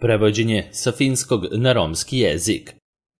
Prevođenje sa finskog na romski jezik.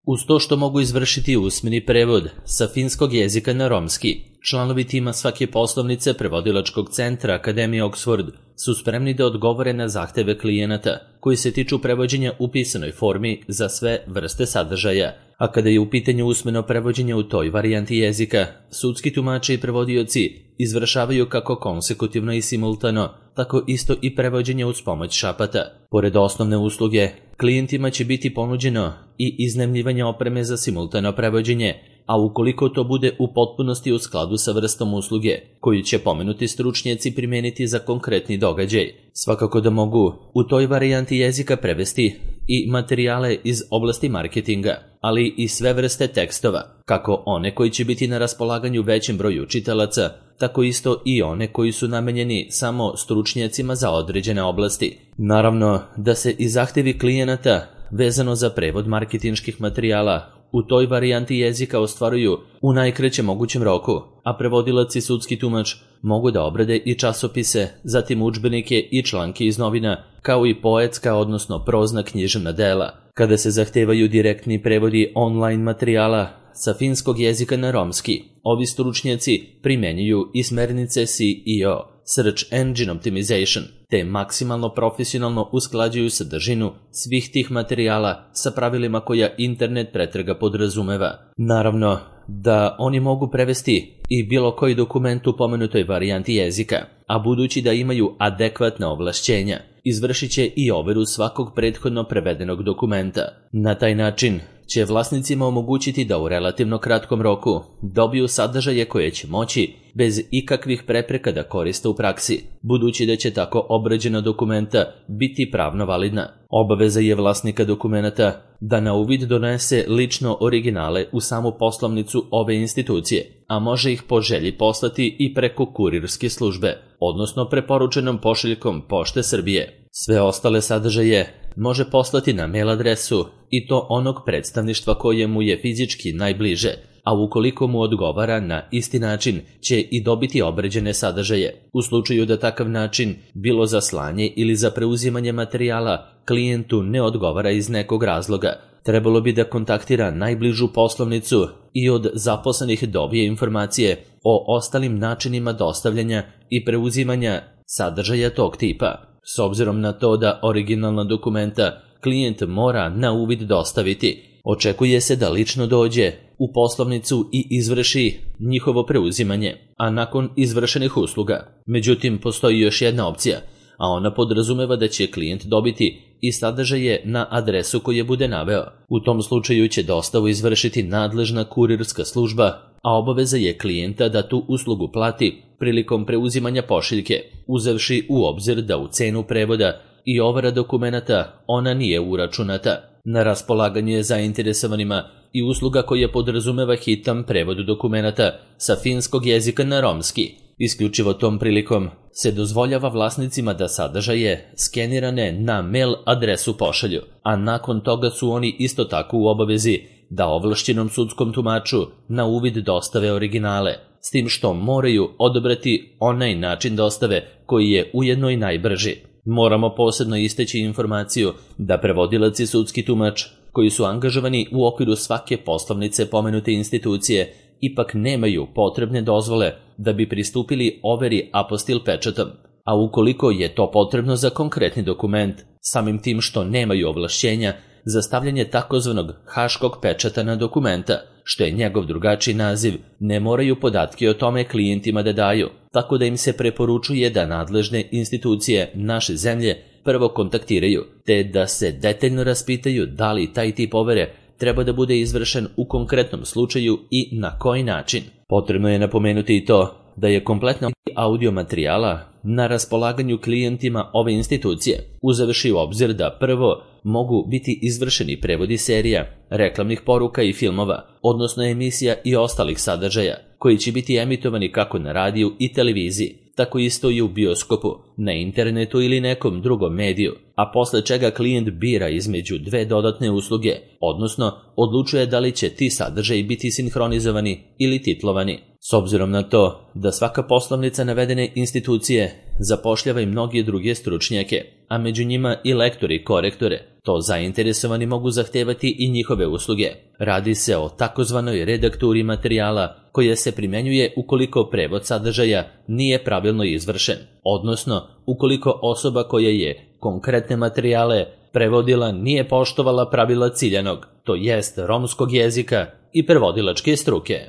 Uz to što mogu izvršiti usmeni prevod sa finskog jezika na romski, članovi tima svake poslovnice prevodilačkog centra Akademije Oxford su spremni da odgovore na zahteve klijenata koji se tiču prevođenja u pisanoj formi za sve vrste sadržaja, a kada je u pitanju usmeno prevođenje u toj varijanti jezika, sudski tumači i prevodioci izvršavaju kako konsekutivno i simultano, tako isto i prevođenje uz pomoć šapata. Pored osnovne usluge, klijentima će biti ponuđeno i iznajmljivanje opreme za simultano prevođenje, a ukoliko to bude u potpunosti u skladu sa vrstom usluge, koju će pomenuti stručnjaci primeniti za konkretni događaj, svakako da mogu u toj varijanti jezika prevesti i materijale iz oblasti marketinga, ali i sve vrste tekstova, kako one koji će biti na raspolaganju većem broju čitalaca, tako isto i one koji su namenjeni samo stručnjacima za određene oblasti. Naravno da se i zahtevi klijenata vezano za prevod marketinških materijala u toj varijanti jezika ostvaruju u najkraćem mogućem roku, a prevodilac i sudski tumač mogu da obrade i časopise, zatim udžbenike i članke iz novina, kao i poetska, odnosno prozna književna dela. Kada se zahtevaju direktni prevodi online materijala sa finskog jezika na romski, ovi stručnjaci primenjuju i smernice SEO, Search Engine Optimization, te maksimalno profesionalno usklađuju sadržinu svih tih materijala sa pravilima koja internet pretraga podrazumeva. Naravno da oni mogu prevesti i bilo koji dokument u pomenutoj varijanti jezika, a budući da imaju adekvatna ovlašćenja, izvršit će i overu svakog prethodno prevedenog dokumenta. Na taj način će vlasnicima omogućiti da u relativno kratkom roku dobiju sadržaje koje će moći bez ikakvih prepreka da koriste u praksi, budući da će tako obrađena dokumenta biti pravno validna. Obaveza je vlasnika dokumenta da na uvid donese lično originale u samu poslovnicu ove institucije, a može ih po želji poslati i preko kurirske službe, odnosno preporučenom pošiljkom Pošte Srbije. Sve ostale sadržaje može poslati na mail adresu i to onog predstavništva koje mu je fizički najbliže, a ukoliko mu odgovara na isti način će i dobiti obrađene sadržaje. U slučaju da takav način, bilo za slanje ili za preuzimanje materijala, klijentu ne odgovara iz nekog razloga, trebalo bi da kontaktira najbližu poslovnicu i od zaposlenih dobije informacije o ostalim načinima dostavljanja i preuzimanja sadržaja tog tipa. S obzirom na to da originalna dokumenta klijent mora na uvid dostaviti, očekuje se da lično dođe u poslovnicu i izvrši njihovo preuzimanje, a nakon izvršenih usluga. Međutim, postoji još jedna opcija, a ona podrazumeva da će klijent dobiti i sadržaje na adresu koje bude naveo. U tom slučaju će dostavu izvršiti nadležna kurirska služba, a obaveza je klijenta da tu uslugu plati prilikom preuzimanja pošiljke, uzevši u obzir da u cenu prevoda i overa dokumenata ona nije uračunata. Na raspolaganju je zainteresovanima i usluga koja podrazumeva hitan prevod dokumenata sa finskog jezika na romski. Isključivo tom prilikom se dozvoljava vlasnicima da sadržaje skenirane na mail adresu pošalju, a nakon toga su oni isto tako u obavezi da ovlašćenom sudskom tumaču na uvid dostave originale, s tim što moraju odabrati onaj način dostave koji je ujedno i najbrži. Moramo posebno istaći informaciju da prevodilac i sudski tumač koji su angažovani u okviru svake poslovnice pomenute institucije ipak nemaju potrebne dozvole da bi pristupili overi apostil pečatom, a ukoliko je to potrebno za konkretni dokument, samim tim što nemaju ovlašćenja za stavljanje takozvanog haškog pečata na dokumenta, što je njegov drugačiji naziv, ne moraju podatke o tome klijentima da daju, tako da im se preporučuje da nadležne institucije naše zemlje prvo kontaktiraju, te da se detaljno raspitaju da li taj tip overe treba da bude izvršen u konkretnom slučaju i na koji način. Potrebno je napomenuti i to da je kompletna audio materijala na raspolaganju klijentima ove institucije, uzevši u obzir da prvo mogu biti izvršeni prevodi serija, reklamnih poruka i filmova, odnosno emisija i ostalih sadržaja, koji će biti emitovani kako na radiju i televiziji, tako isto i u bioskopu, na internetu ili nekom drugom mediju, a posle čega klijent bira između dve dodatne usluge, odnosno odlučuje da li će ti sadržaji biti sinhronizovani ili titlovani. S obzirom na to da svaka poslovnica navedene institucije zapošljava i mnogi druge stručnjake, a među njima i lektori i korektore, to zainteresovani mogu zahtevati i njihove usluge. Radi se o takozvanoj redakturi materijala koja se primenjuje ukoliko prevod sadržaja nije pravilno izvršen, odnosno ukoliko osoba koja je konkretne materijale prevodila nije poštovala pravila ciljanog, to jest romskog jezika i prevodilačke struke.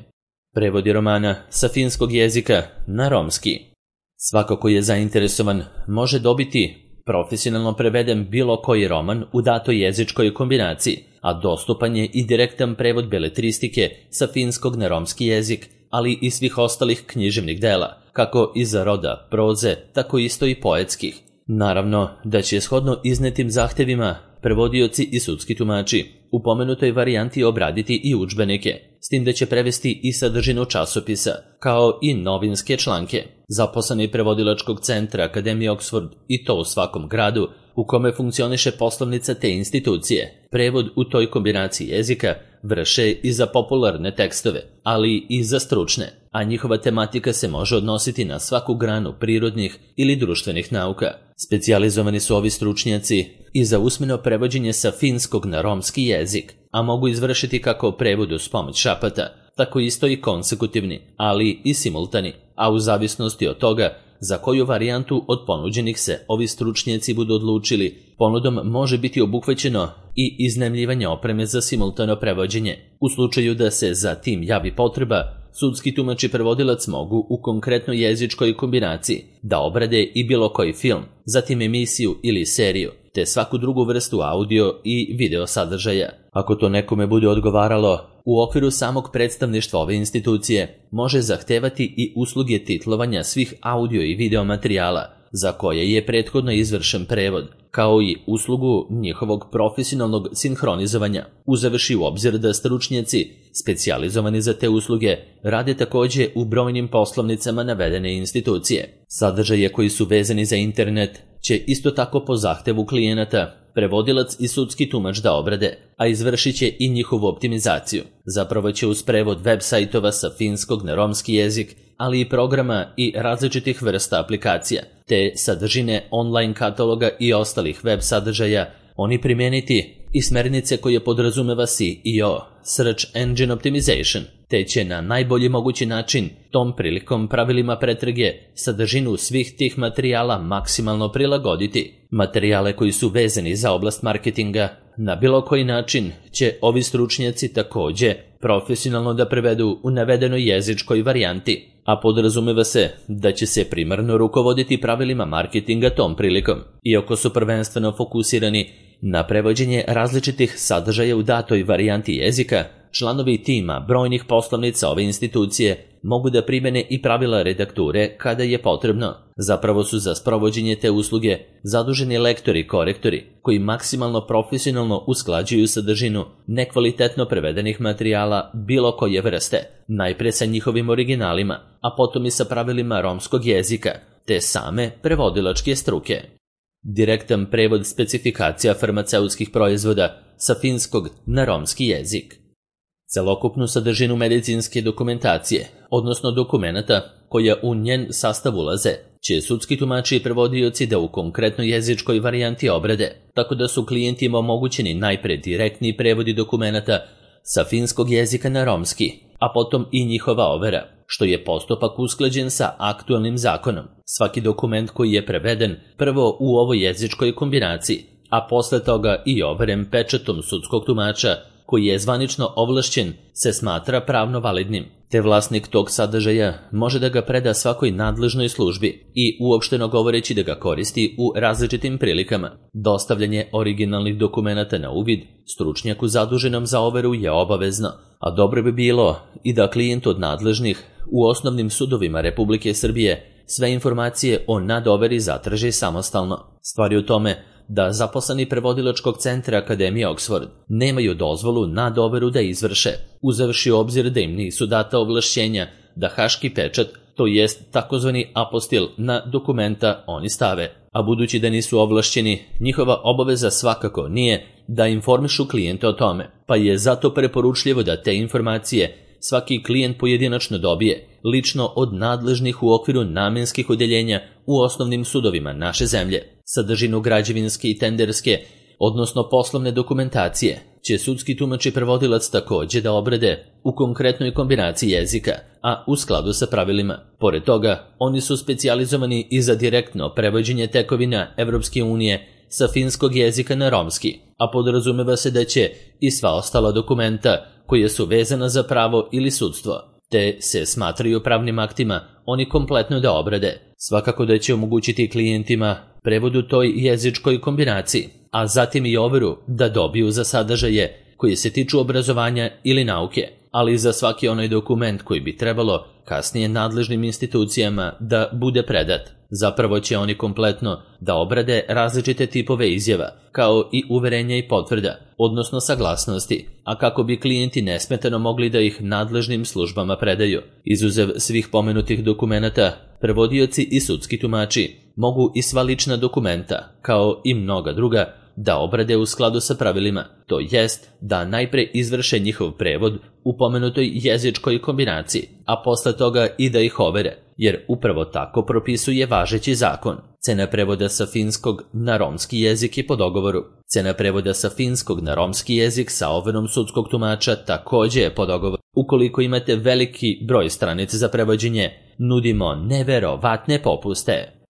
Prevodi romana sa finskog jezika na romski. Svako ko je zainteresovan može dobiti profesionalno preveden bilo koji roman u datoj jezičkoj kombinaciji, a dostupan je i direktan prevod beletristike sa finskog na romski jezik, ali i svih ostalih književnih dela, kako iz roda proze, tako isto i poetskih. Naravno da će shodno iznetim zahtevima prevodioci i sudski tumači u pomenutoj varijanti obraditi i udžbenike, s tim da će prevesti i sadržinu časopisa, kao i novinske članke. Zaposleni prevodilačkog centra Akademije Oxford, i to u svakom gradu u kome funkcioniše poslovnica te institucije, prevod u toj kombinaciji jezika vrše i za popularne tekstove, ali i za stručne, a njihova tematika se može odnositi na svaku granu prirodnih ili društvenih nauka. Specijalizovani su ovi stručnjaci i za usmeno prevođenje sa finskog na romski jezik, a mogu izvršiti kako prevod uz pomoć šapata, tako isto i konsekutivni, ali i simultani, a u zavisnosti od toga za koju varijantu od ponuđenih se ovi stručnjaci budu odlučili, ponudom može biti obuhvaćeno i iznajmljivanje opreme za simultano prevođenje. U slučaju da se za tim javi potreba, sudski tumač i prevodilac mogu u konkretnoj jezičkoj kombinaciji da obrade i bilo koji film, zatim emisiju ili seriju, te svaku drugu vrstu audio i video sadržaja. Ako to nekome bude odgovaralo, u okviru samog predstavništva ove institucije može zahtevati i usluge titlovanja svih audio i video materijala za koje je prethodno izvršen prevod, kao i uslugu njihovog profesionalnog sinhronizovanja, uzevši u obzir da stručnjaci specijalizovani za te usluge rade takođe u brojnim poslovnicama navedene institucije. Sadržaje koji su vezani za internet će isto tako po zahtevu klijenata prevodilac i sudski tumač da obrade, a izvršit će i njihovu optimizaciju. Zapravo će uz prevod web sajtova sa finskog na romski jezik, ali i programa i različitih vrsta aplikacija, te sadržine online kataloga i ostalih web sadržaja, oni primijeniti i smernice koje podrazumeva SEO, Search Engine Optimization, te će na najbolji mogući način tom prilikom pravilima pretrage sadržinu svih tih materijala maksimalno prilagoditi. Materijale koji su vezani za oblast marketinga na bilo koji način će ovi stručnjaci takođe profesionalno da prevedu u navedenoj jezičkoj varijanti, a podrazumeva se da će se primarno rukovoditi pravilima marketinga tom prilikom. Iako su prvenstveno fokusirani na prevođenje različitih sadržaja u datoj varijanti jezika, članovi tima brojnih poslovnica ove institucije mogu da primene i pravila redakture kada je potrebno. Zapravo su za sprovođenje te usluge zaduženi lektori i korektori koji maksimalno profesionalno usklađuju sadržinu nekvalitetno prevedenih materijala bilo koje vrste, najpre sa njihovim originalima, a potom i sa pravilima romskog jezika, te same prevodilačke struke. Direktan prevod specifikacija farmaceutskih proizvoda sa finskog na romski jezik. Celokupnu sadržinu medicinske dokumentacije, odnosno dokumenata koja u njen sastav ulaze, će sudski tumači i prevodioci da u konkretnoj jezičkoj varijanti obrade, tako da su klijentima omogućeni najpre direktni prevodi dokumenata sa finskog jezika na romski, a potom i njihova overa, što je postupak usklađen sa aktualnim zakonom. Svaki dokument koji je preveden prvo u ovoj jezičkoj kombinaciji, a posle toga i overen pečatom sudskog tumača koji je zvanično ovlašćen, se smatra pravno validnim, te vlasnik tog sadržaja može da ga preda svakoj nadležnoj službi i uopšteno govoreći da ga koristi u različitim prilikama. Dostavljanje originalnih dokumenata na uvid stručnjaku zaduženom za overu je obavezno, a dobro bi bilo i da klijent od nadležnih u osnovnim sudovima Republike Srbije sve informacije o nadoveri zatraži samostalno. Stvar je u tome da zaposleni prevodilačkog centra Akademije Oxford nemaju dozvolu nadoveru da izvrše, uzevši u obzir da im nisu data ovlašćenja da haški pečat to jest takozvani apostil na dokumenta oni stave. A budući da nisu ovlašćeni, njihova obaveza svakako nije da informišu klijente o tome, pa je zato preporučljivo da te informacije svaki klijent pojedinačno dobije, lično od nadležnih u okviru namenskih odeljenja u osnovnim sudovima naše zemlje. Sadržinu građevinske i tenderske, odnosno poslovne dokumentacije, će sudski tumač i prevodilac takođe da obrade u konkretnoj kombinaciji jezika, a u skladu sa pravilima. Pored toga, oni su specijalizovani i za direktno prevođenje tekovina Evropske unije sa finskog jezika na romski, a podrazumeva se da će i sva ostala dokumenta koje su vezana za pravo ili sudstvo, te se smatraju pravnim aktima, oni kompletno da obrade. Svakako da će omogućiti klijentima prevod u toj jezičkoj kombinaciji, a zatim i overu da dobiju za sadržaje koji se tiču obrazovanja ili nauke, ali i za svaki onaj dokument koji bi trebalo kasnije nadležnim institucijama da bude predat. Zapravo će oni kompletno da obrade različite tipove izjava, kao i uverenja i potvrda, odnosno saglasnosti, a kako bi klijenti nesmetano mogli da ih nadležnim službama predaju. Izuzev svih pomenutih dokumenata, prevodioci i sudski tumači mogu i sva lična dokumenta, kao i mnoga druga, da obrade u skladu sa pravilima, to jest da najpre izvrše njihov prevod u pomenutoj jezičkoj kombinaciji, a posle toga i da ih overe, jer upravo tako propisuje važeći zakon. Cena prevoda sa finskog na romski jezik je po dogovoru. Cena prevoda sa finskog na romski jezik sa overom sudskog tumača takođe je po dogovoru. Ukoliko imate veliki broj stranica za prevođenje, nudimo neverovatne popuste.